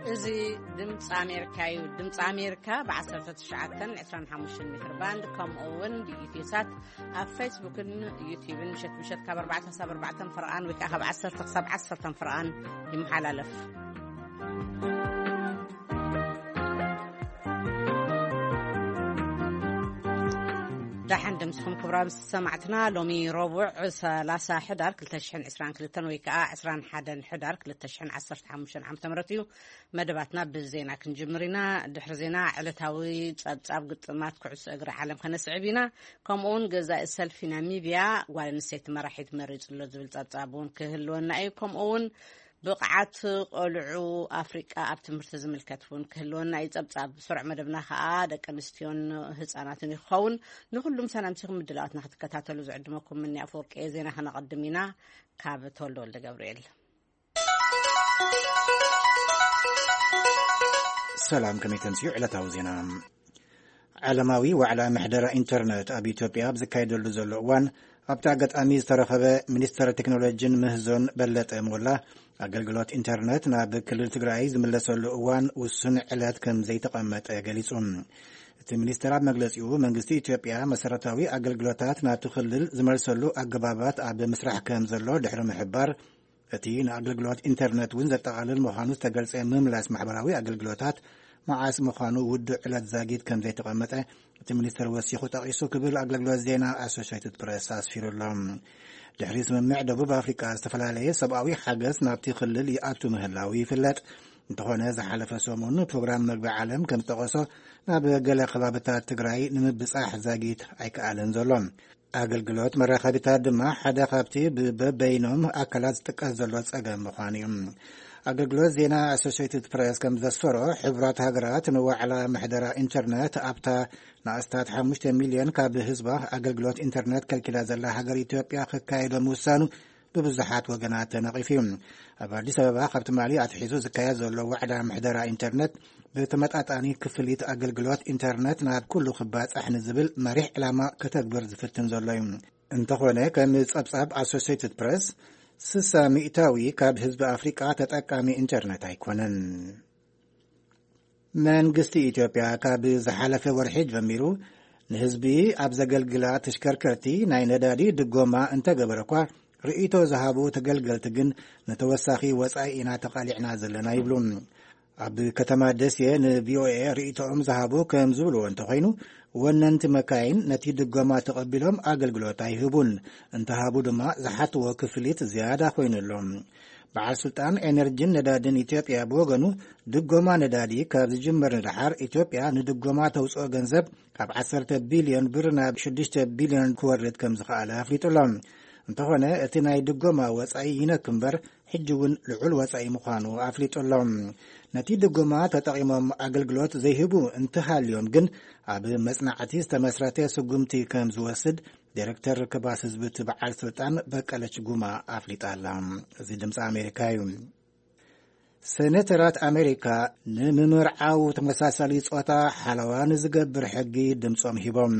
እዚ ድምፂ ኣሜሪካ እዩ። ድምፂ ኣሜሪካ ብ19 25 ሜትር ባንድ፣ ከምኡ እውን ብኢትዮ ሳት ኣብ ፌስቡክን ዩቲዩብን ምሸት ምሸት ካብ 4 ክሳብ 4 ፍርቓን ወይ ከዓ ካብ 10 ክሳብ 10 ፍርቓን ይመሓላለፍ። ደሓን ድምፅኹም ክቡራን ሰማዕትና። ሎሚ ረቡዕ 30 ሕዳር 2022 ወይ ከዓ 21 ሕዳር 2015 ዓ.ም እዩ። መደባትና ብዜና ክንጅምር ኢና። ድሕሪ ዜና ዕለታዊ ጸብጻብ ግጥማት ኩዕሶ እግሪ ዓለም ከነስዕብ ኢና። ከምኡውን ገዛኢ ሰልፊ ናሚብያ ጓል ኣንስተይቲ መራሒት መሪጹ ኣሎ ዝብል ጸብጻብ እውን ክህልወና እዩ። ከምኡውን ብቕዓት ቆልዑ ኣፍሪቃ ኣብ ትምህርቲ ዝምልከት እውን ክህልወና እዩ ጸብጻብ። ስሩዕ መደብና ከኣ ደቂ ኣንስትዮን ህጻናትን ይኸውን። ንኹሉም ሰላምቲኹም ምድላዋትና ክትከታተሉ ዝዕድመኩም ምኒ ኣፈወርቂ እየ። ዜና ከነቐድም ኢና። ካብ ተወልደ ወልደ ገብርኤል። ሰላም፣ ከመይ ተምስዩ ዕለታዊ ዜና። ዓለማዊ ዋዕላ ምሕደራ ኢንተርነት ኣብ ኢትዮጵያ ኣብ ዝካየደሉ ዘሎ እዋን፣ ኣብቲ ኣጋጣሚ ዝተረኸበ ሚኒስተር ቴክኖሎጂን ምህዞን በለጠ ሞላ፣ ኣገልግሎት ኢንተርነት ናብ ክልል ትግራይ ዝምለሰሉ እዋን ውሱን ዕለት ከም ዘይተቐመጠ ገሊጹ። እቲ ሚኒስተር ኣብ መግለጺኡ፣ መንግስቲ ኢትዮጵያ መሰረታዊ ኣገልግሎታት ናብቲ ክልል ዝመልሰሉ ኣገባባት ኣብ ምስራሕ ከም ዘሎ ድሕሪ ምሕባር፣ እቲ ንኣገልግሎት ኢንተርነት እውን ዘጠቓልል ምዃኑ ዝተገልጸ ምምላስ ማሕበራዊ ኣገልግሎታት መዓስ ምዃኑ ውዱእ ዕለት ዛጊት ከም ዘይተቐመጠ እቲ ሚኒስተር ወሲኹ ጠቒሱ ክብል ኣገልግሎት ዜና ኣሶሽየትድ ፕረስ ኣስፊሩ ኣሎ። ድሕሪ ስምምዕ ደቡብ ኣፍሪቃ ዝተፈላለየ ሰብኣዊ ሓገዝ ናብቲ ክልል ይኣቱ ምህላው ይፍለጥ። እንተኾነ ዝሓለፈ ሰሙን ፕሮግራም መግቢ ዓለም ከም ዝጠቐሶ ናብ ገለ ከባብታት ትግራይ ንምብጻሕ ዛጊት ኣይከኣለን ዘሎ። ኣገልግሎት መራኸቢታት ድማ ሓደ ካብቲ ብበበይኖም ኣካላት ዝጥቀስ ዘሎ ጸገም ምዃኑ እዩ። ኣገልግሎት ዜና ኣሶሽየትድ ፕረስ ከም ዘስፈሮ፣ ሕቡራት ሃገራት ንዋዕላ ምሕደራ ኢንተርነት ኣብታ ንኣስታት 5 ሚልዮን ካብ ህዝባ ኣገልግሎት ኢንተርነት ከልኪላ ዘላ ሃገር ኢትዮጵያ ክካየዶ ምውሳኑ ብብዙሓት ወገናት ተነቒፉ እዩ። ኣብ ኣዲስ ኣበባ ካብ ትማሊ ኣትሒዙ ዝካየድ ዘሎ ዋዕላ ምሕደራ ኢንተርነት ብተመጣጣኒ ክፍሊት ኣገልግሎት ኢንተርነት ናብ ኩሉ ክባጻሕ ንዝብል መሪሕ ዕላማ ከተግብር ዝፍትን ዘሎ እዩ። እንተኾነ፣ ከም ጸብጻብ ኣሶሲየትድ ፕረስ፣ 60% ካብ ህዝቢ ኣፍሪቃ ተጠቃሚ ኢንተርነት ኣይኮነን። መንግስቲ ኢትዮጵያ ካብ ዝሓለፈ ወርሒ ጀሚሩ ንህዝቢ ኣብ ዘገልግላ ተሽከርከርቲ ናይ ነዳዲ ድጎማ እንተገበረ እኳ፣ ርእይቶ ዝሃቡ ተገልገልቲ ግን ንተወሳኺ ወጻኢ ኢና ተቓሊዕና ዘለና ይብሉ። ኣብ ከተማ ደሴ ንቪኦኤ ርእይቶኦም ዝሃቡ ከም ዝብልዎ እንተኾይኑ፣ ወነንቲ መካይን ነቲ ድጎማ ተቐቢሎም ኣገልግሎት ኣይህቡን። እንተሃቡ ድማ ዝሓትዎ ክፍሊት ዝያዳ ኮይኑሎም። በዓል ስልጣን ኤነርጂን ነዳድን ኢትዮጵያ ብወገኑ፣ ድጎማ ነዳዲ ካብ ዝጅመር ንደሓር ኢትዮጵያ ንድጎማ ተውፅኦ ገንዘብ ካብ 10 ቢልዮን ብር ናብ 6 ቢልዮን ክወርድ ከም ዝኸኣለ ኣፍሊጡ ኣሎ። እንተኾነ፣ እቲ ናይ ድጎማ ወጻኢ ይነክ እምበር፣ ሕጂ እውን ልዑል ወጻኢ ምዃኑ ኣፍሊጡ ኣሎ። ነቲ ድጎማ ተጠቒሞም ኣገልግሎት ዘይህቡ እንተሃልዮም ግን፣ ኣብ መጽናዕቲ ዝተመስረተ ስጉምቲ ከም ዝወስድ ዲሬክተር ርክባት ህዝቢ እቲ በዓል ስልጣን በቀለች ጉማ ኣፍሊጣ ኣላ። እዚ ድምፂ ኣሜሪካ እዩ። ሴኔተራት ኣሜሪካ ንምምርዓው ተመሳሳሊ ጾታ ሓለዋ ንዝገብር ሕጊ ድምጾም ሂቦም።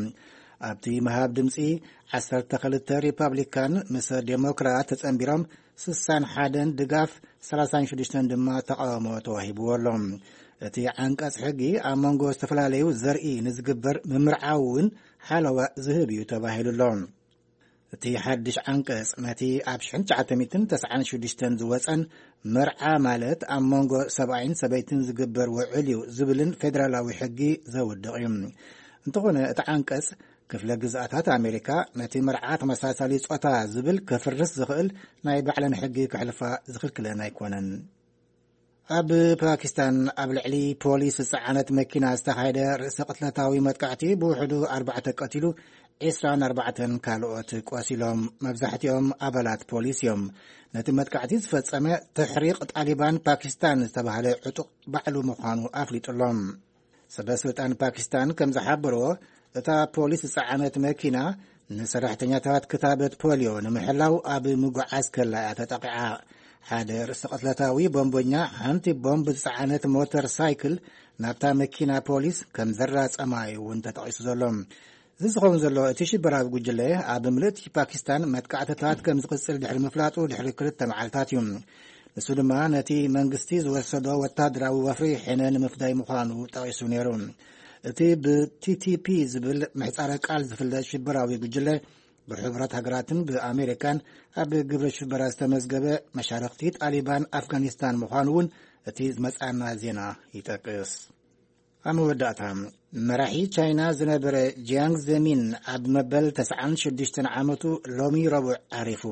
ኣብቲ ምሃብ ድምጺ፣ 12 ሪፓብሊካን ምስ ዴሞክራት ተጸንቢሮም፣ 61 ድጋፍ፣ 36 ድማ ተቓውሞ ተዋሂብዎ ኣሎ። እቲ ዓንቀጽ ሕጊ ኣብ መንጎ ዝተፈላለዩ ዘርኢ ንዝግበር ምምርዓው እውን ሓለዋ ዝህብ እዩ ተባሂሉ ኣሎ። እቲ ሓድሽ ዓንቀጽ ነቲ ኣብ 1996 ዝወጸን መርዓ ማለት ኣብ መንጎ ሰብኣይን ሰበይትን ዝግበር ውዕል እዩ ዝብልን ፌደራላዊ ሕጊ ዘውድቕ እዩ። እንተኾነ፣ እቲ ዓንቀጽ ክፍለ ግዝኣታት ኣሜሪካ ነቲ መርዓ ተመሳሳሊ ጾታ ዝብል ከፍርስ ዝኽእል ናይ ባዕለን ሕጊ ክሕልፋ ዝኽልክለን ኣይኮነን። ኣብ ፓኪስታን ኣብ ልዕሊ ፖሊስ ዝጸዓነት መኪና ዝተኻየደ ርእሰ ቅትለታዊ መጥቃዕቲ ብውሕዱ ኣርባዕተ ቀቲሉ፣ 24 ካልኦት ቆሲሎም። መብዛሕትኦም ኣባላት ፖሊስ እዮም። ነቲ መጥቃዕቲ ዝፈጸመ ተሕሪቕ ጣሊባን ፓኪስታን ዝተባህለ ዕጡቕ ባዕሉ ምዃኑ ኣፍሊጡሎም። ሰበ ስልጣን ፓኪስታን ከም ዝሓበርዎ፣ እታ ፖሊስ ዝጸዓነት መኪና ንሰራሕተኛታት ክታበት ፖሊዮ ንምሕላው ኣብ ምጉዓዝ ከላ እያ ተጠቒዓ። ሓደ ርእሰ ቅትለታዊ ቦምበኛ ሓንቲ ቦምብ ዝጸዓነት ሞተር ሳይክል ናብታ መኪና ፖሊስ ከም ዘራጸማ እዩ እውን ተጠቒሱ ዘሎ። እዚ ዝኸውን ዘሎ፣ እቲ ሽበራዊ ጉጅለ ኣብ ምልእቲ ፓኪስታን መጥቃዕትታት ከም ዝቕጽል ድሕሪ ምፍላጡ ድሕሪ ክልተ መዓልታት እዩ። እሱ ድማ ነቲ መንግስቲ ዝወሰዶ ወታደራዊ ወፍሪ ሕነ ንምፍዳይ ምዃኑ ጠቒሱ ነይሩ። እቲ ብቲቲፒ ዝብል ምሕጻረ ቃል ዝፍለጥ ሽበራዊ ጉጅለ ብሕቡራት ሃገራትን ብኣሜሪካን ኣብ ግብረ ሽበራ ዝተመዝገበ መሻርኽቲ ጣሊባን ኣፍጋኒስታን ምዃኑ እውን እቲ ዝመጻና ዜና ይጠቅስ። ኣብ መወዳእታ፣ መራሒ ቻይና ዝነበረ ጂያንግ ዘሚን ኣብ መበል ተስዓን ሽዱሽተን ዓመቱ ሎሚ ረቡዕ ዓሪፉ።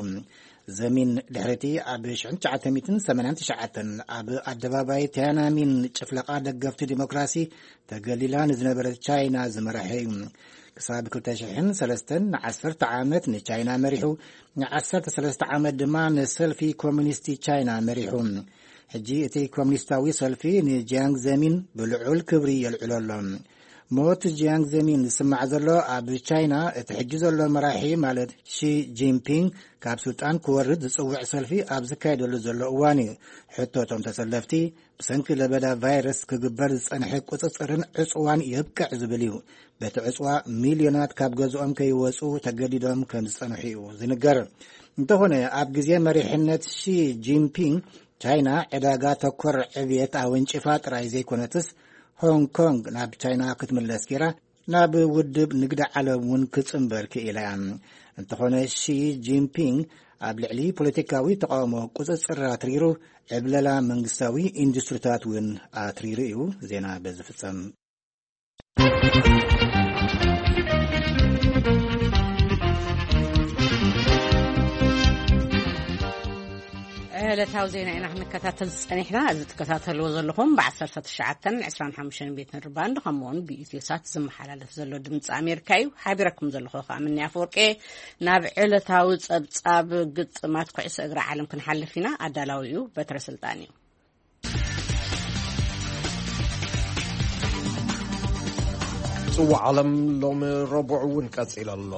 ዘሚን ድሕሪቲ ኣብ ሽሕን ትሽዓተ ሚእትን ሰማንያን ትሽዓተን ኣብ ኣደባባይ ቲያናሚን ጭፍለቓ ደገፍቲ ዲሞክራሲ ተገሊላ ንዝነበረት ቻይና ዝመራሐ እዩ። ክሳብ ክልተ ሽሕን ሰለስተን ንዓሰርተ ዓመት ንቻይና መሪሑ፣ ንዓሰርተ ሰለስተ ዓመት ድማ ንሰልፊ ኮሚኒስቲ ቻይና መሪሑ። ሕጂ እቲ ኮሚኒስታዊ ሰልፊ ንጂያንግ ዘሚን ብልዑል ክብሪ የልዕሎ ኣሎ። ሞት ጂያንግ ዘሚን ዝስማዕ ዘሎ ኣብ ቻይና እቲ ሕጂ ዘሎ መራሒ ማለት ሺ ጂንፒንግ ካብ ስልጣን ክወርድ ዝጽውዕ ሰልፊ ኣብ ዝካየደሉ ዘሎ እዋን እዩ። ሕቶ እቶም ተሰለፍቲ ብሰንኪ ለበዳ ቫይረስ ክግበር ዝጸንሐ ቁጽጽርን ዕጽዋን የብቅዕ ዝብል እዩ። በቲ ዕጽዋ ሚልዮናት ካብ ገዝኦም ከይወጹ ተገዲዶም ከም ዝጸንሑ እዩ ዝንገር። እንተኾነ ኣብ ግዜ መሪሕነት ሺ ጂንፒንግ ቻይና ዕዳጋ ተኮር ዕብየት ኣወንጭፋ ጥራይ ዘይኮነትስ ሆንግ ኮንግ ናብ ቻይና ክትምለስ ገይራ ናብ ውድብ ንግዲ ዓለም እውን ክጽንበር ክኢላ እያ። እንተኾነ ሺ ጂንፒንግ ኣብ ልዕሊ ፖለቲካዊ ተቃውሞ ቁጽጽር ኣትሪሩ ዕብለላ መንግስታዊ ኢንዱስትሪታት እውን ኣትሪሩ እዩ። ዜና በዚ ፍጸም። ዕለታዊ ዜና ኢና ክንከታተል ዝጸኒሕና። እዚ ትከታተልዎ ዘለኹም ብ19 25 ሜትር ባንድ ከምኡውን ብኢትዮ ሳት ዝመሓላለፍ ዘሎ ድምፂ ኣሜሪካ እዩ። ሓቢረኩም ዘለኹ ከዓ ምንያ ኣፈወርቂ። ናብ ዕለታዊ ጸብጻብ ግጥማት ኩዕሶ እግሪ ዓለም ክንሓልፍ ኢና። ኣዳላዊኡ በትረ ስልጣን እዩ። ጽዋዕ ዓለም ሎሚ ረቡዕ እውን ቀጺሉ ኣሎ።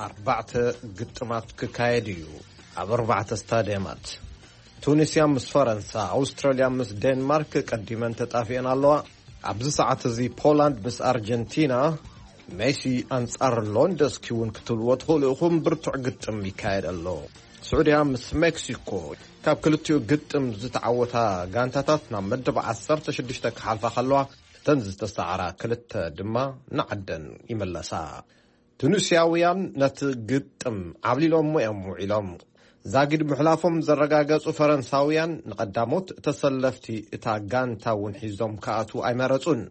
ኣርባዕተ ግጥማት ክካየድ እዩ ኣብ ኣርባዕተ ስታድየማት። ቱኒስያ ምስ ፈረንሳ፣ ኣውስትራልያ ምስ ዴንማርክ ቀዲመን ተጣፊአን ኣለዋ። ኣብዚ ሰዓት እዚ ፖላንድ ምስ ኣርጀንቲና፣ ሜሲ ኣንጻር ሎንደስኪ እውን ክትብልዎ ትኽእሉ ኢኹም። ብርቱዕ ግጥም ይካየድ ኣሎ። ስዑድያ ምስ ሜክሲኮ፣ ካብ ክልቲኡ ግጥም ዝተዓወታ ጋንታታት ናብ መደብ ዓሰርተ ሽዱሽተ ክሓልፋ ከለዋ፣ እተን ዝተሰዓራ ክልተ ድማ ንዓደን ይምለሳ። ቱኒስያውያን ነቲ ግጥም ዓብሊሎሞ እዮም ውዒሎም። ዛጊድ ምሕላፎም ዘረጋገጹ ፈረንሳውያን ንቐዳሞት ተሰለፍቲ እታ ጋንታ እውን ሒዞም ክኣትዉ ኣይመረጹን።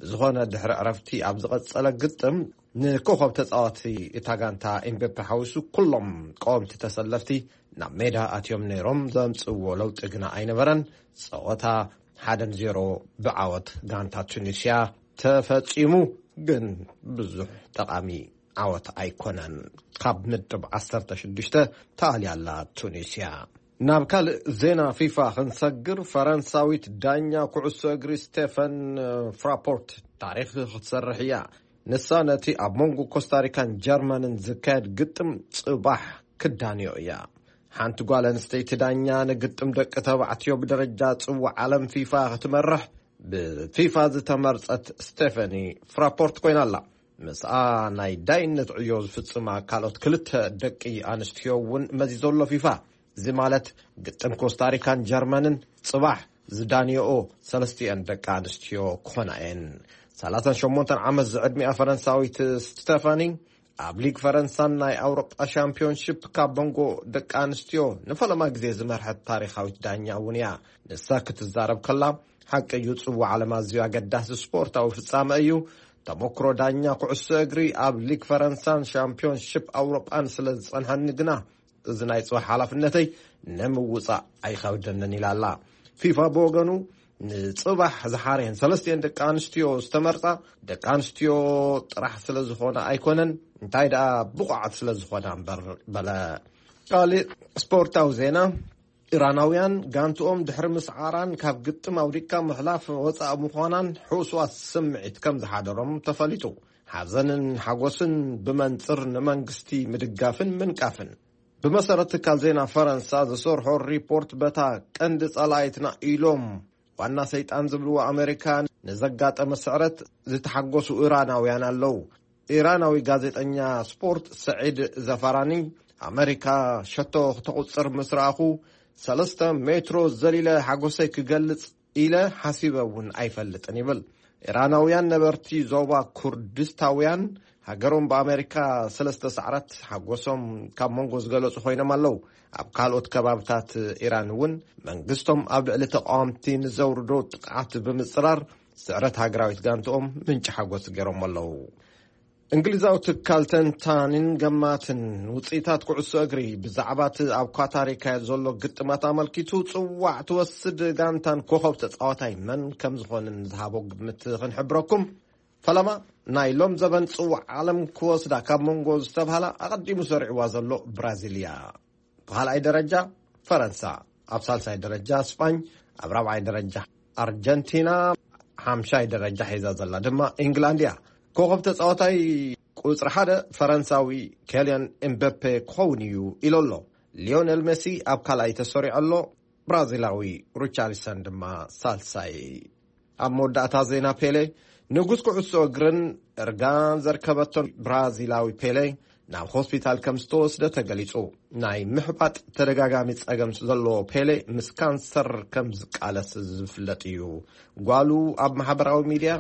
ብዝኾነ ድሕሪ ዕረፍቲ ኣብ ዝቐጸለ ግጥም ንኮኸብ ተጻዋቲ እታ ጋንታ ኤምቤፔ ሓዊሱ ኩሎም ቀወምቲ ተሰለፍቲ ናብ ሜዳ ኣትዮም ነይሮም። ዘምጽእዎ ለውጢ ግና ኣይነበረን። ጸወታ ሓደ ንዜሮ ብዓወት ጋንታ ቱኒስያ ተፈጺሙ፣ ግን ብዙሕ ጠቓሚ ዓወት ኣይኮነን። ካብ ምድብ ዓሰርተ ሽዱሽተ ተኣልያ ኣላ ቱኒስያ። ናብ ካልእ ዜና ፊፋ ክንሰግር፣ ፈረንሳዊት ዳኛ ኩዕሶ እግሪ ስቴፈን ፍራፖርት ታሪኽ ክትሰርሕ እያ። ንሳ ነቲ ኣብ መንጎ ኮስታሪካን ጀርመንን ዝካየድ ግጥም ጽባሕ ክዳንዮ እያ። ሓንቲ ጓል ኣንስተይቲ ዳኛ ንግጥም ደቂ ተባዕትዮ ብደረጃ ጽዋዕ ዓለም ፊፋ ክትመርሕ ብፊፋ ዝተመርጸት ስቴፈኒ ፍራፖርት ኮይና ኣላ። ምስኣ ናይ ዳይነት ዕዮ ዝፍጽማ ካልኦት ክልተ ደቂ ኣንስትዮ እውን መዚዞ ኣሎ ፊፋ። እዚ ማለት ግጥም ኮስታሪካን ጀርመንን ጽባሕ ዝዳንዮኦ ሰለስቲአን ደቂ ኣንስትዮ ክኾና እየን። ሰላሳን ሸሞንተን ዓመት ዝዕድሚኣ ፈረንሳዊት ስቴፋኒ ኣብ ሊግ ፈረንሳን ናይ ኣውሮጳ ሻምፒዮንሺፕ ካብ መንጎ ደቂ ኣንስትዮ ንፈለማ ግዜ ዝመርሐት ታሪኻዊት ዳኛ እውን እያ። ንሳ ክትዛረብ ከላ፣ ሓቂ እዩ፣ ጽዋዕ ዓለም ኣዝዩ ኣገዳሲ ስፖርታዊ ፍጻመ እዩ። ተመክሮ ዳኛ ኩዕሶ እግሪ ኣብ ሊግ ፈረንሳን ሻምፒዮንሺፕ ኣውሮጳን ስለ ዝጸንሐኒ ግና፣ እዚ ናይ ጽባሕ ሓላፍነተይ ንምውጻእ ኣይኸብደንን ኢላ ኣላ። ፊፋ ብወገኑ፣ ንጽባሕ ዝሓረየን ሰለስቲአን ደቂ ኣንስትዮ ዝተመርጻ፣ ደቂ ኣንስትዮ ጥራሕ ስለ ዝኾና ኣይኮነን፣ እንታይ ደኣ ብቑዓት ስለ ዝኾና እምበር በለ። ካልእ ስፖርታዊ ዜና፣ ኢራናውያን ጋንትኦም ድሕሪ ምስዓራን ካብ ግጥም ኣውዲቃ ምሕላፍ ወጻኢ ምዃናን ሕውስዋስ ስምዒት ከም ዝሓደሮም ተፈሊጡ። ሓዘንን ሓጎስን ብመንጽር ንመንግስቲ ምድጋፍን ምንቃፍን። ብመሰረት ትካል ዜና ፈረንሳ ዝሰርሖ ሪፖርት፣ በታ ቀንዲ ጸላኢትና ኢሎም ዋና ሰይጣን ዝብልዎ ኣሜሪካ ንዘጋጠመ ስዕረት ዝተሓጎሱ ኢራናውያን ኣለዉ። ኢራናዊ ጋዜጠኛ ስፖርት ሰዒድ ዘፋራኒ፣ ኣመሪካ ሸቶ ክተቑጽር ምስ ረኣኹ፣ ሰለስተ ሜትሮ ዘሊለ ሓጎሰይ ክገልጽ ኢለ ሓሲበ እውን ኣይፈልጥን ይብል። ኢራናውያን ነበርቲ ዞባ ኩርድስታውያን ሃገሮም ብኣሜሪካ ሰለስተ ሰዓራት ሓጎሶም ካብ መንጎ ዝገለጹ ኮይኖም ኣለዉ። ኣብ ካልኦት ከባብታት ኢራን እውን መንግስቶም ኣብ ልዕሊ ተቃወምቲ ንዘውርዶ ጥቕዓት ብምጽራር ስዕረት ሃገራዊት ጋንትኦም ምንጪ ሓጎስ ገይሮም ኣለዉ። እንግሊዛዊ ትካል ተንታኒን ገማትን ውጽኢታት ኩዕሶ እግሪ ብዛዕባ እቲ ኣብ ኳታር ይካየድ ዘሎ ግጥማት ኣመልኪቱ ጽዋዕ ትወስድ ጋንታን ኮኸብ ተጻዋታይ መን ከም ዝኾንን ዝሃቦ ግምት ክንሕብረኩም። ፈለማ ናይ ሎም ዘበን ጽዋዕ ዓለም ክወስዳ ካብ መንጎ ዝተብሃላ ኣቐዲሙ ሰሪዕዋ ዘሎ ብራዚል እያ። ብኻልኣይ ደረጃ ፈረንሳ፣ ኣብ ሳልሳይ ደረጃ ስጳኝ፣ ኣብ ራብዓይ ደረጃ ኣርጀንቲና፣ ሓምሻይ ደረጃ ሒዛ ዘላ ድማ ኢንግላንድ እያ። ኮኸብ ተጻዋታይ ቁጽሪ ሓደ ፈረንሳዊ ኬልያን ኤምበፔ ክኸውን እዩ ኢሉ ኣሎ። ሊዮነል ሜሲ ኣብ ካልኣይ ተሰሪዑ ኣሎ። ብራዚላዊ ሪቻርሊሰን ድማ ሳልሳይ። ኣብ መወዳእታ ዜና ፔሌ፣ ንጉስ ኩዕሶ እግርን እርጋን ዘርከበቶን ብራዚላዊ ፔሌ ናብ ሆስፒታል ከም ዝተወስደ ተገሊጹ። ናይ ምሕባጥ ተደጋጋሚ ጸገም ዘለዎ ፔሌ ምስ ካንሰር ከም ዝቃለስ ዝፍለጥ እዩ። ጓሉ ኣብ ማሕበራዊ ሚድያ፣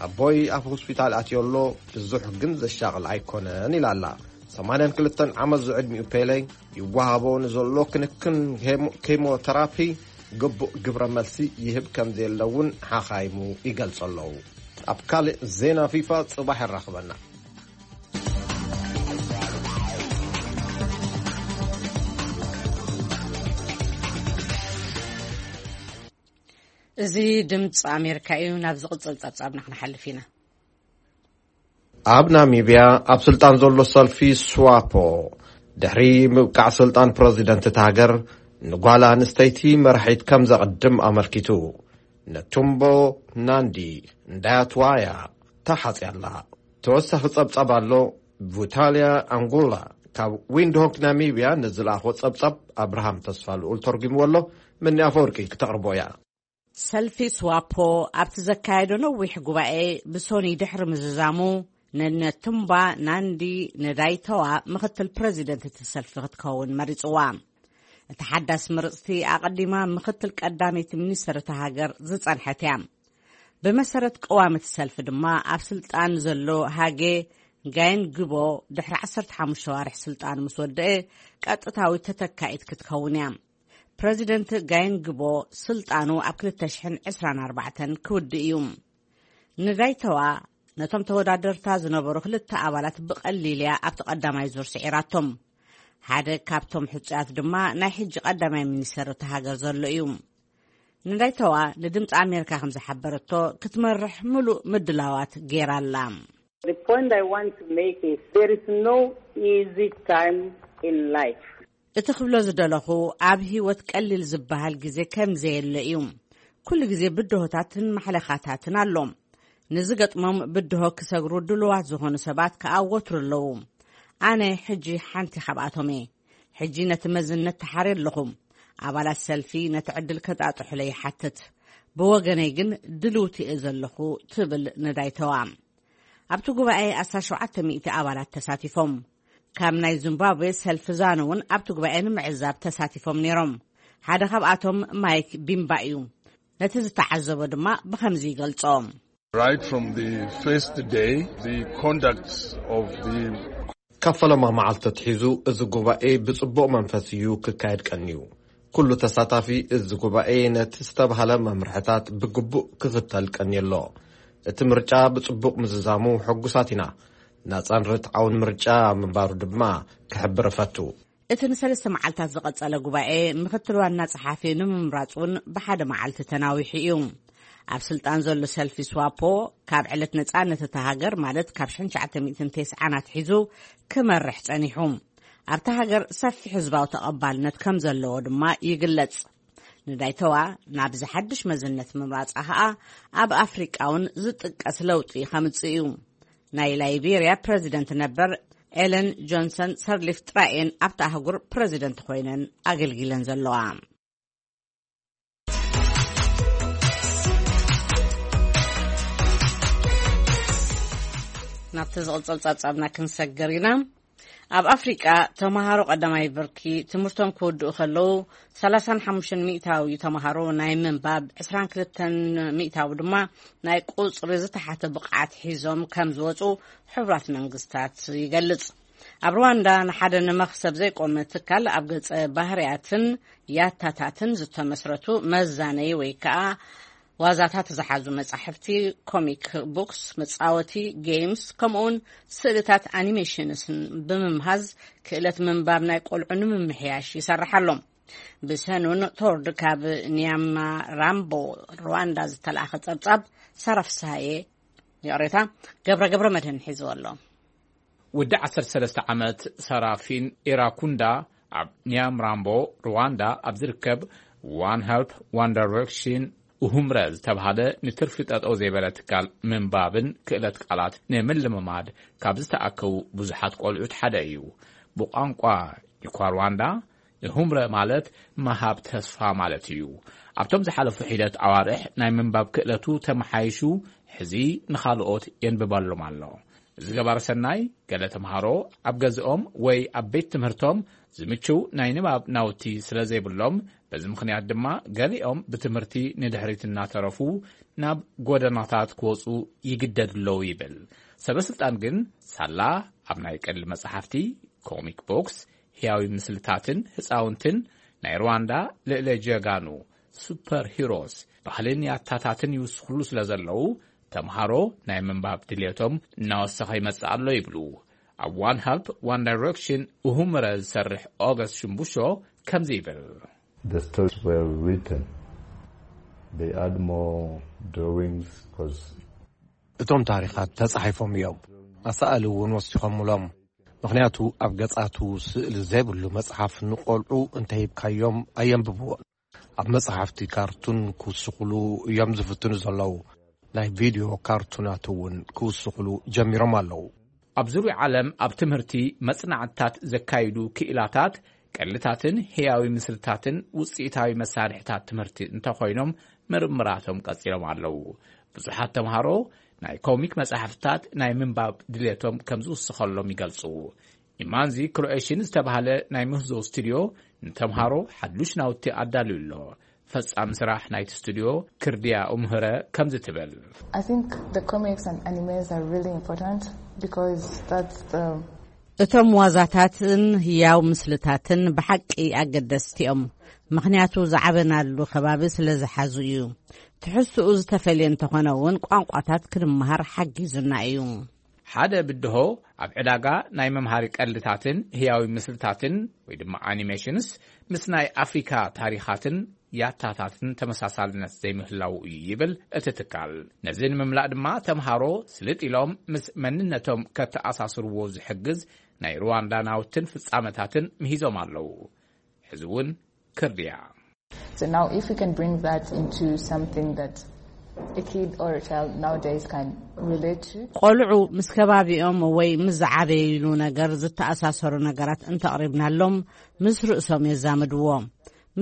ኣቦይ ኣብ ሆስፒታል ኣትዮ ኣሎ፣ ብዙሕ ግን ዘሻቕል ኣይኮነን ኢላ ኣላ። ሰማንያን ክልተን ዓመት ዝዕድሚኡ ፔሌ ይወሃቦ ንዘሎ ክንክን ኬሞ-፣ ኬሞተራፒ ግቡእ ግብረ መልሲ ይህብ ከም ዘየለ እውን ሓኻይሙ ይገልጹ ኣለዉ። ኣብ ካልእ ዜና ፊፋ ጽባሕ የራኽበና። እዚ ድምፂ ኣሜሪካ እዩ። ናብ ዝቕጽል ጸብጻብና ክንሓልፍ ኢና። ኣብ ናሚብያ ኣብ ስልጣን ዘሎ ሰልፊ ስዋፖ ድሕሪ ምብቃዕ ስልጣን ፕረዚደንት እቲ ሃገር ንጓል ኣንስተይቲ መራሒት ከም ዘቕድም ኣመልኪቱ፣ ነቱምቦ ናንዲ እንዳያትዋያ ተሓጽያ ኣላ። ተወሳኺ ጸብጻብ ኣሎ። ቡታልያ ኣንጉላ ካብ ዊንድሆክ ናሚብያ ንዝለኣኾ ጸብጻብ ኣብርሃም ተስፋ ልኡል ተርጉምዎ ኣሎ። ምኒ ኣፈወርቂ ክተቕርቦ እያ። ሰልፊ ስዋፖ ኣብቲ ዘካየዶ ነዊሕ ጉባኤ ብሶኒ ድሕሪ ምዝዛሙ፣ ንነቱምባ ናንዲ ንዳይተዋ ምኽትል ፕረዚደንት እቲ ሰልፊ ክትከውን መሪጽዋ። እቲ ሓዳስ ምርጽቲ ኣቐዲማ ምኽትል ቀዳመይቲ ሚኒስተር እታ ሃገር ዝጸንሐት እያ። ብመሰረት ቅዋም እቲ ሰልፊ ድማ ኣብ ስልጣን ዘሎ ሃጌ ጋይን ግቦ ድሕሪ ዓሰርተ ሓሙሽተ ዋርሕ ስልጣኑ ምስ ወደአ ቀጥታዊ ተተካኢት ክትከውን እያ። ፕረዚደንት ጋይን ግቦ ስልጣኑ ኣብ ክልተ ሽሕን ዕስራን ኣርባዕተን ክውድእ እዩ። ንዳይተዋ ነቶም ተወዳደርታ ዝነበሩ ክልተ ኣባላት ብቐሊል እያ ኣብቲ ቀዳማይ ዙር ስዒራቶም። ሓደ ካብቶም ሕጹያት ድማ ናይ ሕጂ ቀዳማይ ሚኒስተር እታ ሃገር ዘሎ እዩ። ንዳይተዋ ንድምፂ ኣሜሪካ ከም ዝሓበረቶ፣ ክትመርሕ ምሉእ ምድላዋት ገይራ ኣላ። The point I want to make is there is no easy time in life. እቲ ክብሎ ዝደለኹ፣ ኣብ ህይወት ቀሊል ዝበሃል ግዜ ከም ዘየለ እዩ። ኩሉ ግዜ ብድሆታትን ማሕለኻታትን ኣሎ። ንዝገጥሞም ብድሆ ክሰግሩ ድሉዋት ዝኾኑ ሰባት ከኣ ወትሩ ኣለዉ። ኣነ ሕጂ ሓንቲ ካብኣቶም እየ። ሕጂ ነቲ መዝነት ተሓርየ ኣለኹ። ኣባላት ሰልፊ ነቲ ዕድል ከጣጥሑለይ ይሓትት። ብወገነይ ግን ድልውቲ እየ ዘለኹ፣ ትብል ንዳይተዋ። ኣብቲ ጉባኤ ኣስታት ሸውዓተ ሚእቲ ኣባላት ተሳቲፎም። ካብ ናይ ዚምባብዌ ሰልፊ ዛኑ እውን ኣብቲ ጉባኤ ንምዕዛብ ተሳቲፎም ነይሮም። ሓደ ካብኣቶም ማይክ ቢምባ እዩ። ነቲ ዝተዓዘቦ ድማ ብኸምዚ ይገልጾ። Right from the first day, the conduct of the ካብ ፈለማ መዓልቲ ኣትሒዙ እዚ ጉባኤ ብጽቡቕ መንፈስ እዩ ክካየድ ቀንዩ። ኩሉ ተሳታፊ እዚ ጉባኤ ነቲ ዝተባህለ መምርሕታት ብግቡእ ክኽተል ቀንዩ ኣሎ። እቲ ምርጫ ብጽቡቕ ምዝዛሙ ሕጉሳት ኢና። ናጻን ርትዓውን ምርጫ ምንባሩ ድማ ክሕብር እፈቱ። እቲ ንሰለስተ መዓልታት ዝቐጸለ ጉባኤ ምኽትል ዋና ጸሓፊ ንምምራጽ እውን ብሓደ መዓልቲ ተናዊሑ እዩ። ኣብ ስልጣን ዘሎ ሰልፊ ስዋፖ ካብ ዕለት ነጻነት እታ ሃገር፣ ማለት ካብ ሽሕን ትሽዓተ ሚእትን ተስዓን ኣትሒዙ ክመርሕ ጸኒሑ። ኣብታ ሃገር ሰፊሕ ህዝባዊ ተቐባልነት ከም ዘለዎ ድማ ይግለጽ። ንዳይተዋ ናብዚ ሓድሽ መዝነት ምምራጻ ኸኣ ኣብ ኣፍሪቃ እውን ዝጥቀስ ለውጢ ከምጽእ እዩ። ናይ ላይቤርያ ፕረዚደንት ነበር ኤለን ጆንሰን ሰርሊፍ ጥራይ እየን ኣብታ ኣህጉር ፕረዚደንት ኮይነን ኣገልጊለን ዘለዋ። ናብቲ ዝቕጽል ጸብጻብና ክንሰግር ኢና። ኣብ ኣፍሪቃ፣ ተምሃሮ ቀዳማይ ብርኪ ትምህርቶም ክወድኡ ከለዉ፣ ሰላሳን ሓሙሽተን ሚእታዊ ተምሃሮ ናይ ምንባብ፣ ዕስራን ክልተን ሚእታዊ ድማ ናይ ቁጽሪ ዝተሓተ ብቕዓት ሒዞም ከም ዝወጹ ሕቡራት መንግስታት ይገልጽ። ኣብ ሩዋንዳ፣ ንሓደ ንመኽሰብ ዘይቆመ ትካል ኣብ ገጸ ባህርያትን ያታታትን ዝተመስረቱ መዛነይ ወይ ከኣ ዋዛታት ዝሓዙ መጻሕፍቲ፣ ኮሚክ ቡክስ፣ መጻወቲ፣ ጌምስ፣ ከምኡውን ስእልታት ኣኒሜሽንስን ብምምሃዝ፣ ክእለት ምንባብ ናይ ቆልዑ ንምምሕያሽ ይሰርሕ ኣሎ። ብሰኑን ቶርድ ካብ ኒያማ ራምቦ፣ ሩዋንዳ፣ ዝተላእኸ ጸብጻብ ሳራ ፍስሃየ፣ ይቕሬታ፣ ገብረ ገብረ መድህን ሒዝዎ ኣሎ። ወዲ ዓሰርተ ሰለስተ ዓመት ሰራፊን ኢራኩንዳ ኣብ ኒያምራምቦ፣ ሩዋንዳ፣ ኣብ ዝርከብ ዋን ሄልፕ ዋን ዳይሬክሽን፣ ኡሁምረ ዝተባህለ ንትርፊ ጠጠው ዘይበለ ትካል ምንባብን ክእለት ቃላት ንምልምማድ ካብ ዝተኣከቡ ብዙሓት ቆልዑት ሓደ እዩ። ብቋንቋ ኒኳርዋንዳ፣ ኡሁምረ ማለት ምሃብ ተስፋ ማለት እዩ። ኣብቶም ዝሓለፉ ሒደት ኣዋርሕ ናይ ምንባብ ክእለቱ ተመሓይሹ፣ ሕዚ ንኻልኦት የንብበሎም ኣሎ። እዚ ገባር ሰናይ፣ ገለ ተምሃሮ ኣብ ገዝኦም ወይ ኣብ ቤት ትምህርቶም ዝምችው ናይ ንባብ ናውቲ ስለ ዘይብሎም፣ በዚ ምኽንያት ድማ ገሊኦም ብትምህርቲ ንድሕሪት እናተረፉ ናብ ጎደናታት ክወጹ ይግደዱ ኣለዉ ይብል። ሰበስልጣን ግን ሳላ ኣብ ናይ ቀልዲ መጻሕፍቲ፣ ኮሚክ ቦክስ፣ ህያዊ ምስልታትን ህጻውንትን ናይ ሩዋንዳ ልዕለ ጀጋኑ፣ ሱፐር ሂሮስ፣ ባህልን ያታታትን ይውስኹሉ ስለ ዘለዉ፣ ተምሃሮ ናይ ምንባብ ድልየቶም እናወሰኸ ይመጽእ ኣሎ ይብሉ። ኣብ ዋን ሄልፕ ዋን ዳይሬክሽን ኡሁምረ ዝሰርሕ ኦገስት ሽምቡሾ ከምዚ ይብል። The stories were written. They add more drawings 'cause እቶም ታሪኻት ተጻሒፎም እዮም። ኣሳእሊ እውን ወሲኾምሎም። ምኽንያቱ ኣብ ገጻቱ ስእሊ ዘይብሉ መጽሓፍ ንቆልዑ እንተሂብካዮም ኣየንብብዎን። ኣብ መጽሓፍቲ ካርቱን ክውስኹሉ እዮም ዝፍትኑ ዘለዉ። ናይ ቪድዮ ካርቱናት እውን ክውስኹሉ ጀሚሮም ኣለዉ። ኣብ ዙርያ ዓለም ኣብ ትምህርቲ መጽናዕትታት ዘካይዱ ክኢላታት፣ ቀልድታትን ህያዊ ምስልታትን ውጽኢታዊ መሳርሕታት ትምህርቲ እንተኾይኖም፣ ምርምራቶም ቀጺሎም ኣለዉ። ብዙሓት ተምሃሮ ናይ ኮሚክ መጻሕፍታት ናይ ምንባብ ድሌቶም ከም ዝውስኸሎም ይገልጹ። ኢማንዚ ክሮኤሽን ዝተባህለ ናይ ምህዞ ስቱድዮ ንተምሃሮ ሓዱሽ ናውቲ ኣዳልዩ ኣሎ። ፈጻሚ ስራሕ ናይቲ ስቱድዮ ክርድያ ኡምህረ ከምዚ ትብል። I think the comics and animes are really important because that's the እቶም ዋዛታትን ህያው ምስልታትን ብሓቂ ኣገደስቲ እዮም። ምኽንያቱ ዝዓበናሉ ከባቢ ስለ ዝሓዙ እዩ። ትሕዝትኡ ዝተፈልየ እንተኾነ እውን ቋንቋታት ክንመሃር ሓጊዙና እዩ። ሓደ ብድሆ ኣብ ዕዳጋ ናይ መምሃሪ ቀልድታትን ህያዊ ምስልታትን ወይ ድማ ኣኒሜሽንስ ምስ ናይ ኣፍሪካ ታሪኻትን ያታታትን ተመሳሳልነት ዘይምህላው እዩ ይብል እቲ ትካል። ነዚ ንምምላእ ድማ ተምሃሮ ስልጥ ኢሎም ምስ መንነቶም ከተኣሳስርዎ ዝሕግዝ ናይ ሩዋንዳ ናውትን ፍጻመታትን ምሂዞም ኣለዉ። ሕዚ እውን ክርድያ። So now if we can bring that into something that a kid or a child nowadays can relate to. ቆልዑ ምስ ከባቢኦም ወይ ምስ ዝዓበይሉ ነገር ዝተኣሳሰሩ ነገራት እንተቕሪብናሎም፣ ምስ ርእሶም የዛምድዎ።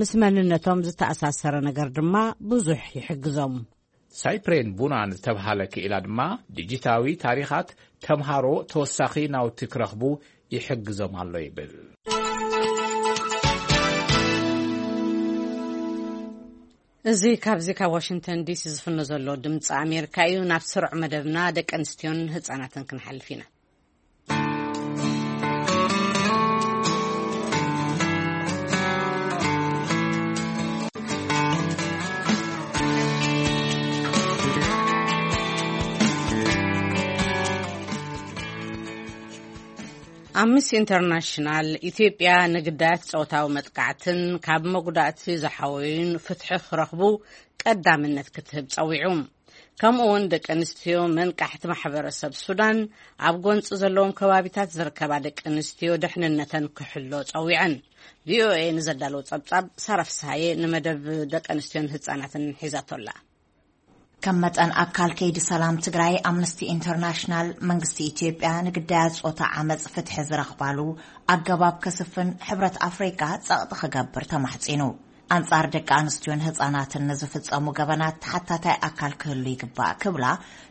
ምስ መንነቶም ዝተኣሳሰረ ነገር ድማ ብዙሕ ይሕግዞም። ሳይፕሬን ቡናን ዝተብሃለ ክኢላ ድማ ዲጂታዊ ታሪኻት ተምሃሮ ተወሳኺ ናውቲ ክረኽቡ ይሕግዞም ኣሎ ይብል። እዚ ካብዚ ካብ ዋሽንግተን ዲሲ ዝፍኖ ዘሎ ድምፂ ኣሜሪካ እዩ። ናብ ስሩዕ መደብና ደቂ ኣንስትዮን ህፃናትን ክንሓልፍ ኢና። ኣምነስቲ ኢንተርናሽናል፣ ኢትዮጵያ ንግዳያት ጾታዊ መጥቃዕትን ካብ መጉዳእቲ ዝሓወዩን ፍትሒ ክረኽቡ ቀዳምነት ክትህብ ጸዊዑ። ከምኡ እውን ደቂ ኣንስትዮ መንቃሕቲ ማሕበረሰብ ሱዳን፣ ኣብ ጎንፂ ዘለዎም ከባቢታት ዝርከባ ደቂ ኣንስትዮ ድሕንነተን ክሕሎ ጸዊዐን። ቪኦኤ ንዘዳለዎ ጸብጻብ ሳራ ፍስሃየ ንመደብ ደቂ ኣንስትዮን ህጻናትን ሒዛቶላ። ከም መጠን ኣካል ከይዲ ሰላም ትግራይ፣ ኣምነስቲ ኢንተርናሽናል መንግስቲ ኢትዮጵያ ንግዳያት ጾታ ዓመፅ ፍትሒ ዝረኽባሉ ኣገባብ ከስፍን ሕብረት ኣፍሪቃ ጸቕጢ ክገብር ተማሕጺኑ። ኣንጻር ደቂ ኣንስትዮን ህጻናትን ንዝፍጸሙ ገበናት ተሓታታይ ኣካል ክህሉ ይግባእ ክብላ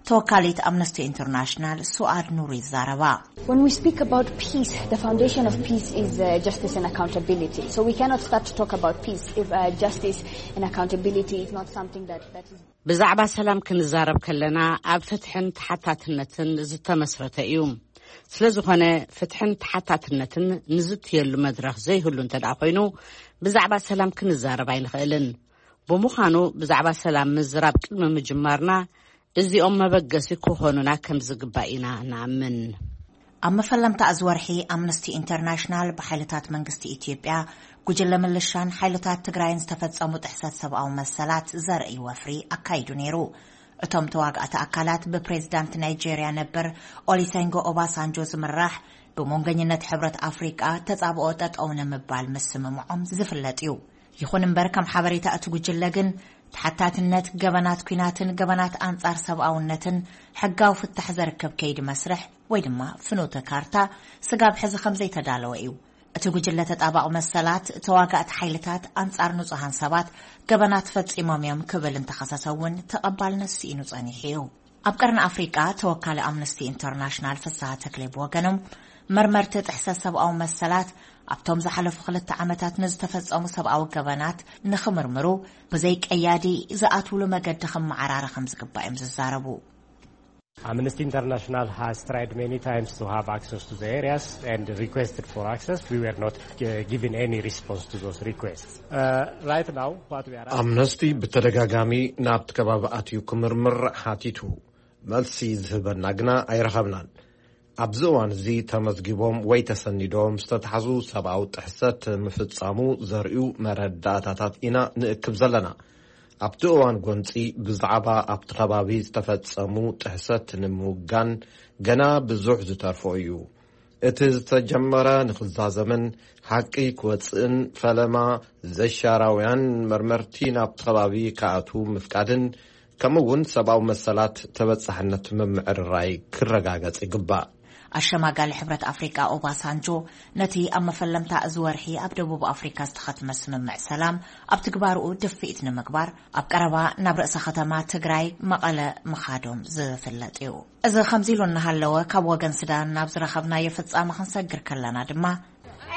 ተወካሊት ኣምነስቲ ኢንተርናሽናል ሱኣድ ኑር ይዛረባ። When we speak about peace, the foundation of peace is uh, justice and accountability. So we cannot start to talk about peace if uh, justice and accountability is not something that, that is ብዛዕባ ሰላም ክንዛረብ ከለና ኣብ ፍትሕን ተሓታትነትን ዝተመስረተ እዩ። ስለ ዝኾነ ፍትሕን ተሓታትነትን ንዝትየሉ መድረኽ ዘይህሉ እንተ ደኣ ኮይኑ ብዛዕባ ሰላም ክንዛረብ ኣይንኽእልን። ብምዃኑ ብዛዕባ ሰላም ምዝራብ ቅድሚ ምጅማርና እዚኦም መበገሲ ክኾኑና ከም ዝግባእ ኢና ንኣምን። ኣብ መፈለምታ እዚ ወርሒ ኣምነስቲ ኢንተርናሽናል ብሓይልታት መንግስቲ ኢትዮጵያ፣ ጉጅለ ምልሻን ሓይልታት ትግራይን ዝተፈጸሙ ጥሕሰት ሰብኣዊ መሰላት ዘርኢ ወፍሪ ኣካይዱ ነይሩ። እቶም ተዋጋእቲ ኣካላት ብፕሬዝዳንት ናይጄርያ ነበር ኦሊሰንጎ ኦባሳንጆ ዝምራሕ ብመንጎኝነት ሕብረት ኣፍሪቃ ተጻብኦ ጠጠው ንምባል ምስምምዖም ዝፍለጥ እዩ። ይኹን እምበር ከም ሓበሬታ እቲ ጉጅለ ግን ተሓታትነት ገበናት ኲናትን ገበናት ኣንጻር ሰብኣውነትን ሕጋዊ ፍታሕ ዘርከብ ከይዲ መስርሕ ወይ ድማ ፍኖተ ካርታ ስጋብ ሕዚ ከም ዘይተዳለወ እዩ። እቲ ጉጅለ ተጣባቒ መሰላት ተዋጋእቲ ሓይልታት ኣንጻር ንጹሃን ሰባት ገበናት ፈጺሞም እዮም ክብል እንተኸሰሰ እውን ተቐባልነት ስኢኑ ጸኒሑ እዩ። ኣብ ቀርኒ ኣፍሪቃ ተወካሊ ኣምነስቲ ኢንተርናሽናል ፍስሃ ተክሌ ብወገኖም መርመርቲ ጥሕሰት ሰብኣዊ መሰላት ኣብቶም ዝሓለፉ ክልተ ዓመታት ንዝተፈጸሙ ሰብኣዊ ገበናት ንኽምርምሩ ብዘይ ቀያዲ ዝኣትውሉ መገዲ ክመዓራረ ከም ዝግባእ እዮም ዝዛረቡ። Amnesty International has tried many times to have access to the areas and requested for access. We were not uh, given any response to those requests. Uh, right now, what we are asking ኣምነስቲ ብተደጋጋሚ ናብቲ ከባቢ ኣትዩ ክምርምር ሓቲቱ። መልሲ ዝህበና ግና ኣይረኸብናን። ኣብዚ እዋን እዚ ተመዝጊቦም ወይ ተሰኒዶም ዝተታሕዙ ሰብኣዊ ጥሕሰት ምፍጻሙ ዘርእዩ መረዳእታታት ኢና ንእክብ ዘለና። ኣብቲ እዋን ጎንጺ ብዛዕባ ኣብቲ ከባቢ ዝተፈጸሙ ጥሕሰት ንምውጋን ገና ብዙሕ ዝተርፎ እዩ። እቲ ዝተጀመረ ንኽዛዘምን ሓቂ ክወጽእን ፈለማ ዘሻራውያን መርመርቲ ናብቲ ከባቢ ክኣትዉ ምፍቃድን ከምኡ እውን ሰብኣዊ መሰላት ተበጻሕነት ምምዕርራይ ክረጋገጽ ይግባእ። ኣሸማጋሊ ሕብረት ኣፍሪቃ ኦባሳንጆ ነቲ ኣብ መፈለምታ እዚ ወርሒ ኣብ ደቡብ ኣፍሪካ ዝተኸትመ ስምምዕ ሰላም ኣብ ትግባርኡ ድፍኢት ንምግባር ኣብ ቀረባ ናብ ርእሰ ከተማ ትግራይ መቐለ ምኻዶም ዝፍለጥ እዩ። እዚ ከምዚ ኢሉ እናሃለወ ካብ ወገን ሱዳን ናብ ዝረኸብናዮ ፍጻመ ክንሰግር ከለና ድማ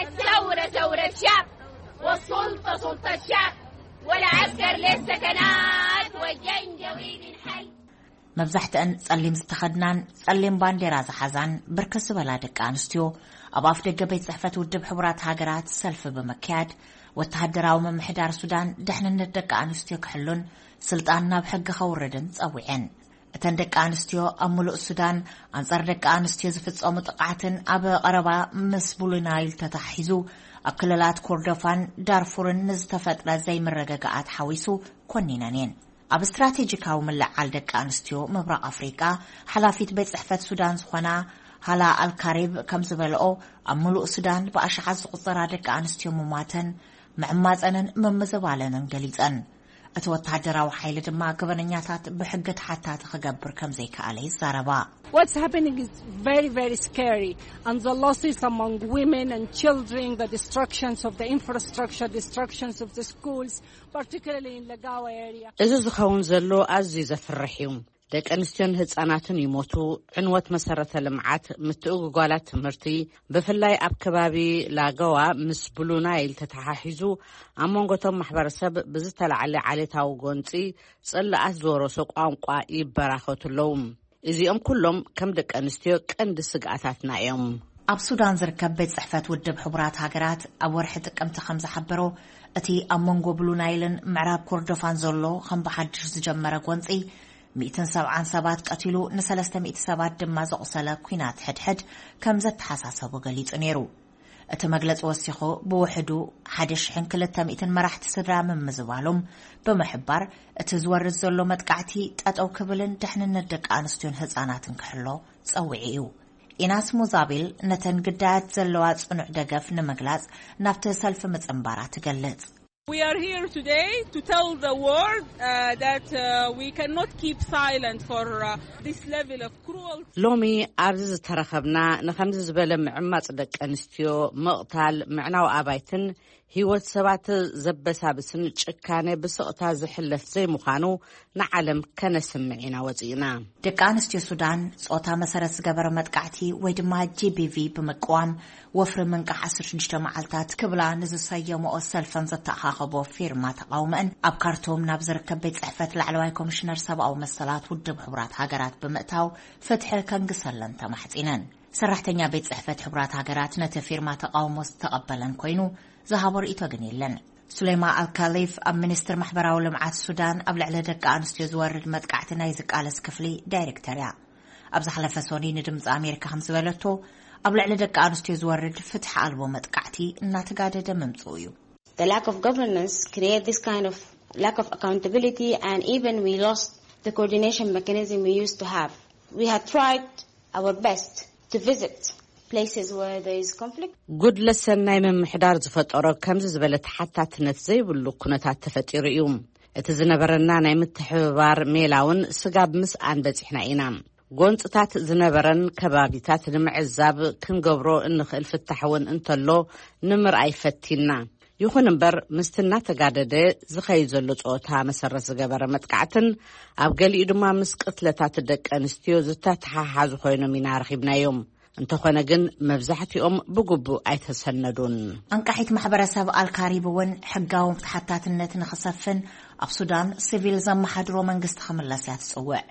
الثورة ثورة شعب والسلطة سلطة شعب والعسكر للسكنات والجنجويد الحي መብዛሕትአን ጸሊም ዝተኸድናን ጸሊም ባንዴራ ዝሓዛን ብርክት ዝበላ ደቂ ኣንስትዮ ኣብ ኣፍ ደገ ቤት ጽሕፈት ውድብ ሕቡራት ሃገራት ሰልፊ ብምክያድ ወተሃደራዊ ምምሕዳር ሱዳን ድሕንነት ደቂ ኣንስትዮ ክሕሉን ስልጣን ናብ ሕጊ ከውርድን ጸዊዐን። እተን ደቂ ኣንስትዮ ኣብ ምሉእ ሱዳን ኣንጻር ደቂ ኣንስትዮ ዝፍጸሙ ጥቕዓትን ኣብ ቀረባ ምስ ብሉ ናይል ተታሒዙ ኣብ ክልላት ኮርዶፋን ዳርፉርን ንዝተፈጥረ ዘይምርግጋኣት ሓዊሱ ኮኒነን እየን። ኣብ ስትራቴጂካዊ ምልዕዓል ደቂ ኣንስትዮ ምብራቕ ኣፍሪቃ ሓላፊት ቤት ጽሕፈት ሱዳን ዝኾና ሃላ ኣልካሪብ ከም ዝበልኦ ኣብ ምሉእ ሱዳን ብኣሽሓት ዝቑጸራ ደቂ ኣንስትዮ ምሟተን ምዕማጸንን ምምዝባለንን ገሊጸን። እቲ ወተሃደራዊ ሓይሊ ድማ ገበነኛታት ብሕጊ ተሓታቲ ክገብር ከም ዘይከኣለ ይዛረባ። What's happening is very, very scary, and the losses among women and children, the destructions of the infrastructure, destructions of the schools, particularly in Lagawa area. እዚ ዝኸውን ዘሎ ኣዝዩ ዘፍርሕ እዩ። ደቂ ኣንስትዮን ህጻናትን ይሞቱ፣ ዕንወት መሰረተ ልምዓት፣ ምትእጉጓላት ትምህርቲ፣ ብፍላይ ኣብ ከባቢ ላገዋ ምስ ብሉ ናይል ተተሓሒዙ ኣብ መንጎቶም ማሕበረሰብ ብዝተላዕለ ዓሌታዊ ጎንጺ ጽልኣት ዝወረሶ ቋንቋ ይበራኸቱ ኣለዉ። እዚኦም ኩሎም ከም ደቂ ኣንስትዮ ቀንዲ ስግኣታትና እዮም። ኣብ ሱዳን ዝርከብ ቤት ጽሕፈት ውድብ ሕቡራት ሃገራት ኣብ ወርሒ ጥቅምቲ ከም ዝሓበሮ እቲ ኣብ መንጎ ብሉ ናይልን ምዕራብ ኮርዶፋን ዘሎ ከም ብሓድሽ ዝጀመረ ጎንጺ ሚእትን ሰብዓን ሰባት ቀቲሉ ንሰለስተ ሚእቲ ሰባት ድማ ዘቑሰለ ኲናት ሕድሕድ ከም ዘተሓሳሰቡ ገሊጹ ነይሩ። እቲ መግለጺ ወሲኹ ብውሕዱ ሓደ ሽሕን ክልተ ሚእትን መራሕቲ ስድራ ምምዝባሎም ብምሕባር እቲ ዝወርድ ዘሎ መጥቃዕቲ ጠጠው ክብልን ድሕንነት ደቂ ኣንስትዮን ህጻናትን ክሕሎ ጸዊዑ እዩ። ኢናስ ሙዛቢል ነተን ግዳያት ዘለዋ ጽኑዕ ደገፍ ንምግላጽ ናብቲ ሰልፊ ምጽንባራ ትገልጽ። We are here today to tell the world uh, that uh, we cannot keep silent for uh, this level of cruelty. ሎሚ ኣብዚ ዝተረኸብና ንኸምዚ ዝበለ ምዕማጽ ደቂ ኣንስትዮ፣ ምቕታል፣ ምዕናው ኣባይትን ህይወት ሰባት ዘበሳብስን ጭካነ ብስቕታ ዝሕለፍ ዘይምዃኑ ንዓለም ከነስምዕ ኢና ወጺእና። ደቂ ኣንስትዮ ሱዳን ጾታ መሰረት ዝገበረ መጥቃዕቲ ወይ ድማ ጂ ቢ ቪ ብምቅዋም ወፍሪ ምንቃሕ ዓሰርተ ሽዱሽተ መዓልታት ክብላ ንዝሰየመኦ ሰልፈን ዘተኣኻኸቦ ፊርማ ተቓውመአን ኣብ ካርቱም ናብ ዝርከብ ቤት ጽሕፈት ላዕለዋይ ኮሚሽነር ሰብኣዊ መሰላት ውድብ ሕቡራት ሃገራት ብምእታው ፍትሒ ከንግሰለን ተማሕጺነን። ሰራሕተኛ ቤት ጽሕፈት ሕቡራት ሃገራት ነቲ ፊርማ ተቓውሞ ዝተቐበለን ኮይኑ ዝሃቦ ርእይቶ ግን የለን። ሱሌማ ኣልካሊፍ ኣብ ሚኒስትር ማሕበራዊ ልምዓት ሱዳን ኣብ ልዕሊ ደቂ ኣንስትዮ ዝወርድ መጥቃዕቲ ናይ ዝቃለስ ክፍሊ ዳይሬክተር እያ። ኣብ ዝሓለፈ ሶኒ ንድምፂ ኣሜሪካ ከም ዝበለቶ ኣብ ልዕሊ ደቂ ኣንስትዮ ዝወርድ ፍትሒ ኣልቦ መጥቃዕቲ እናተጋደደ ምምፅኡ እዩ። The lack of governance create this kind of lack of accountability, and even we lost the coordination mechanism we used to have. We had tried our best to visit places where there is conflict. ጉድለት ሰናይ ምምሕዳር ዝፈጠሮ ከምዚ ዝበለ ተሓታትነት ዘይብሉ ኩነታት ተፈጢሩ እዩ። እቲ ዝነበረና ናይ ምትሕብባር ሜላ እውን ስጋብ ምስኣን በጺሕና ኢና። ጎንጽታት ዝነበረን ከባቢታት ንምዕዛብ ክንገብሮ እንኽእል ፍታሕ እውን እንተሎ ንምርኣይ ፈቲና። ይኹን እምበር ምስቲ እናተጋደደ ዝኸይድ ዘሎ ጸወታ መሰረት ዝገበረ መጥቃዕትን ኣብ ገሊኡ ድማ ምስ ቅትለታት ደቂ ኣንስትዮ ዝተተሓሓዙ ኮይኖም ኢና ረኺብናዮም። እንተኾነ ግን መብዛሕትኦም ብግቡእ ኣይተሰነዱን። ኣንቃሒት ማሕበረሰብ ኣልካሪብ እውን ሕጋዊ ተሓታትነት ንኽሰፍን ኣብ ሱዳን ሲቪል ዘመሓድሮ መንግስቲ ክምለስ እያ ትጽውዕ።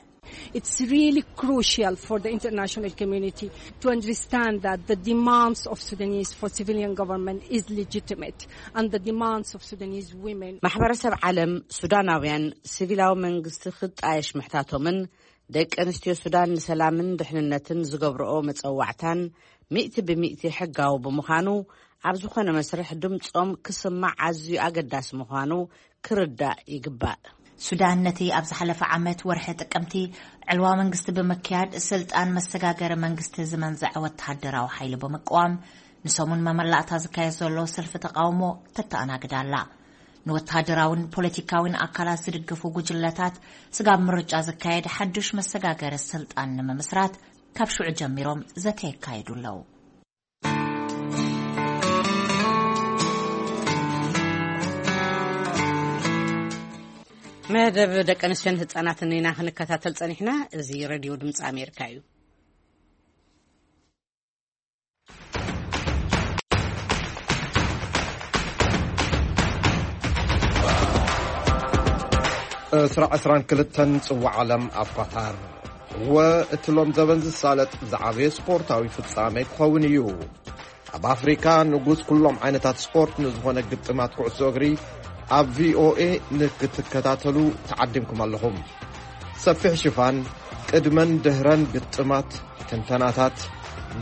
It's really crucial for the international community to understand that the demands of Sudanese for civilian government is legitimate, and the demands of Sudanese women. ማሕበረሰብ ዓለም ሱዳናውያን ሲቪላዊ መንግስቲ ክጣየሽ ምሕታቶምን ደቂ ኣንስትዮ ሱዳን ንሰላምን ድሕንነትን ዝገብርኦ መጸዋዕታን ሚእቲ ብሚእቲ ሕጋዊ ብምዃኑ ኣብ ዝኾነ መስርሕ ድምጾም ክስማዕ ኣዝዩ ኣገዳሲ ምዃኑ ክርዳእ ይግባእ። ሱዳን ነቲ ኣብ ዝሓለፈ ዓመት ወርሒ ጥቅምቲ ዕልዋ መንግስቲ ብምክያድ ስልጣን መሰጋገሪ መንግስቲ ዝመንዘዐ ወተሃደራዊ ሓይሊ ብምቅዋም ንሰሙን መመላእታ ዝካየድ ዘሎ ሰልፊ ተቃውሞ ተተኣናግድ ኣላ። ንወተሃደራውን ፖለቲካውን ኣካላት ዝድግፉ ጉጅለታት ስጋብ ምርጫ ዝካየድ ሓዱሽ መሰጋገሪ ስልጣን ንምምስራት ካብ ሽዑ ጀሚሮም ዘተ የካይዱ ኣለዉ። መደብ ደቂ ኣንስትዮን ህጻናትን ኢና ክንከታተል ጸኒሕና። እዚ ሬድዮ ድምጺ ኣሜሪካ እዩ። ዕስራ ዕስራን ክልተን ጽዋዕ ዓለም ኣብ ኳታር። እወ፣ እቲ ሎም ዘበን ዝሳለጥ ዝዓበየ ስፖርታዊ ፍጻሜ ክኸውን እዩ። ኣብ ኣፍሪካ ንጉስ ኩሎም ዓይነታት ስፖርት ንዝኾነ ግጥማት ኩዕሶ እግሪ ኣብ ቪ ኦ ኤ ንክትከታተሉ ተዓዲምኩም ኣለኹም። ሰፊሕ ሽፋን፣ ቅድመን ድህረን ግጥማት፣ ትንተናታት፣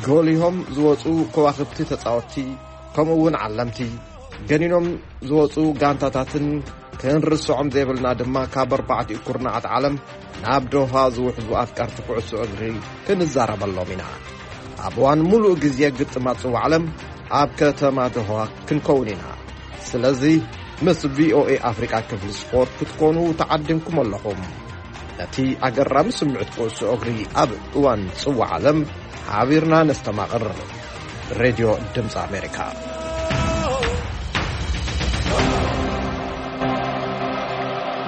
ጎሊሆም ዝወፁ ከዋኽብቲ ተፃወትቲ፣ ከምኡ እውን ዓለምቲ፣ ገኒኖም ዝወፁ ጋንታታትን ክንርስዖም ዘይብልና ድማ ካብ ኣርባዕቲኡ ኩርናዓት ዓለም ናብ ዶሃ ዝውሕዙ ኣፍቀርቲ ኩዕሶ እግሪ ክንዛረበሎም ኢና። ኣብ እዋን ሙሉእ ግዜ ግጥማት ጽዋዕ ዓለም ኣብ ከተማ ዶሃ ክንከውን ኢና። ስለዚ ምስ ቪ ኦ ኤ ኣፍሪቃ ክፍሊ ስፖርት ክትኮኑ ተዓዲምኩም ኣለኹም። ነቲ ኣገራሚ ስምዒት ኩዕሶ እግሪ ኣብ እዋን ጽዋዕ ዓለም ሓቢርና ነስተማቕር። ሬድዮ ድምፂ ኣሜሪካ።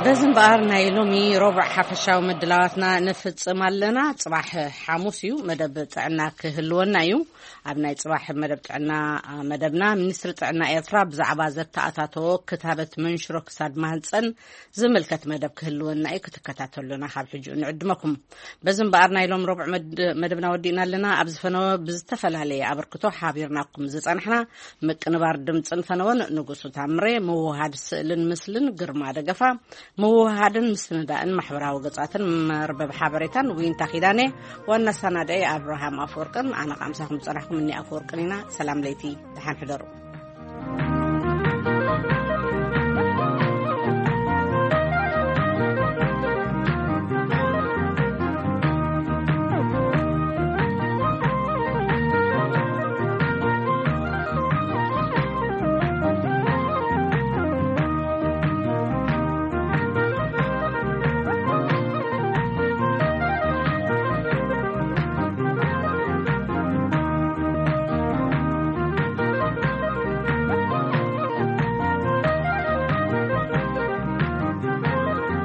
በዚ እምበኣር ናይ ሎሚ ረቡዕ ሓፈሻዊ ምድላዋትና ንፍጽም ኣለና። ጽባሕ ሓሙስ እዩ፣ መደብ ጥዕና ክህልወና እዩ። ኣብ ናይ ጽባሕ መደብ ጥዕና መደብና፣ ሚኒስትሪ ጥዕና ኤርትራ ብዛዕባ ዘተኣታተዎ ክታበት መንሽሮ ክሳድ ማህጸን ዝምልከት መደብ ክህልወና እዩ። ክትከታተሉና ካብ ሕጂ ንዕድመኩም። በዚ እምበኣር ናይ ሎም ረቡዕ መድ-፣ መደብና ወዲእና ኣለና። ኣብዚ ፈነወ ብዝተፈላለየ ኣበርክቶ ሓቢርናኩም ዝጸናሕና ምቅንባር ድምጽን ፈነወን ንጉሱ ታምሬ፣ ምውሃድ ስእልን ምስልን ግርማ ደገፋ፣ ምውሃድን ምስንዳእን ማሕበራዊ ገጻትን መርበብ ሓበሬታን ዊንታ ኪዳኔ፣ ዋና ኣሰናዳኢ ኣብርሃም ኣፈወርቅን ኣነ ቃምሳኹም ዝጸናሕኩም እኒ ኣፈወርቅን ኢና። ሰላም ለይቲ፣ ደሓን ሕደሩ።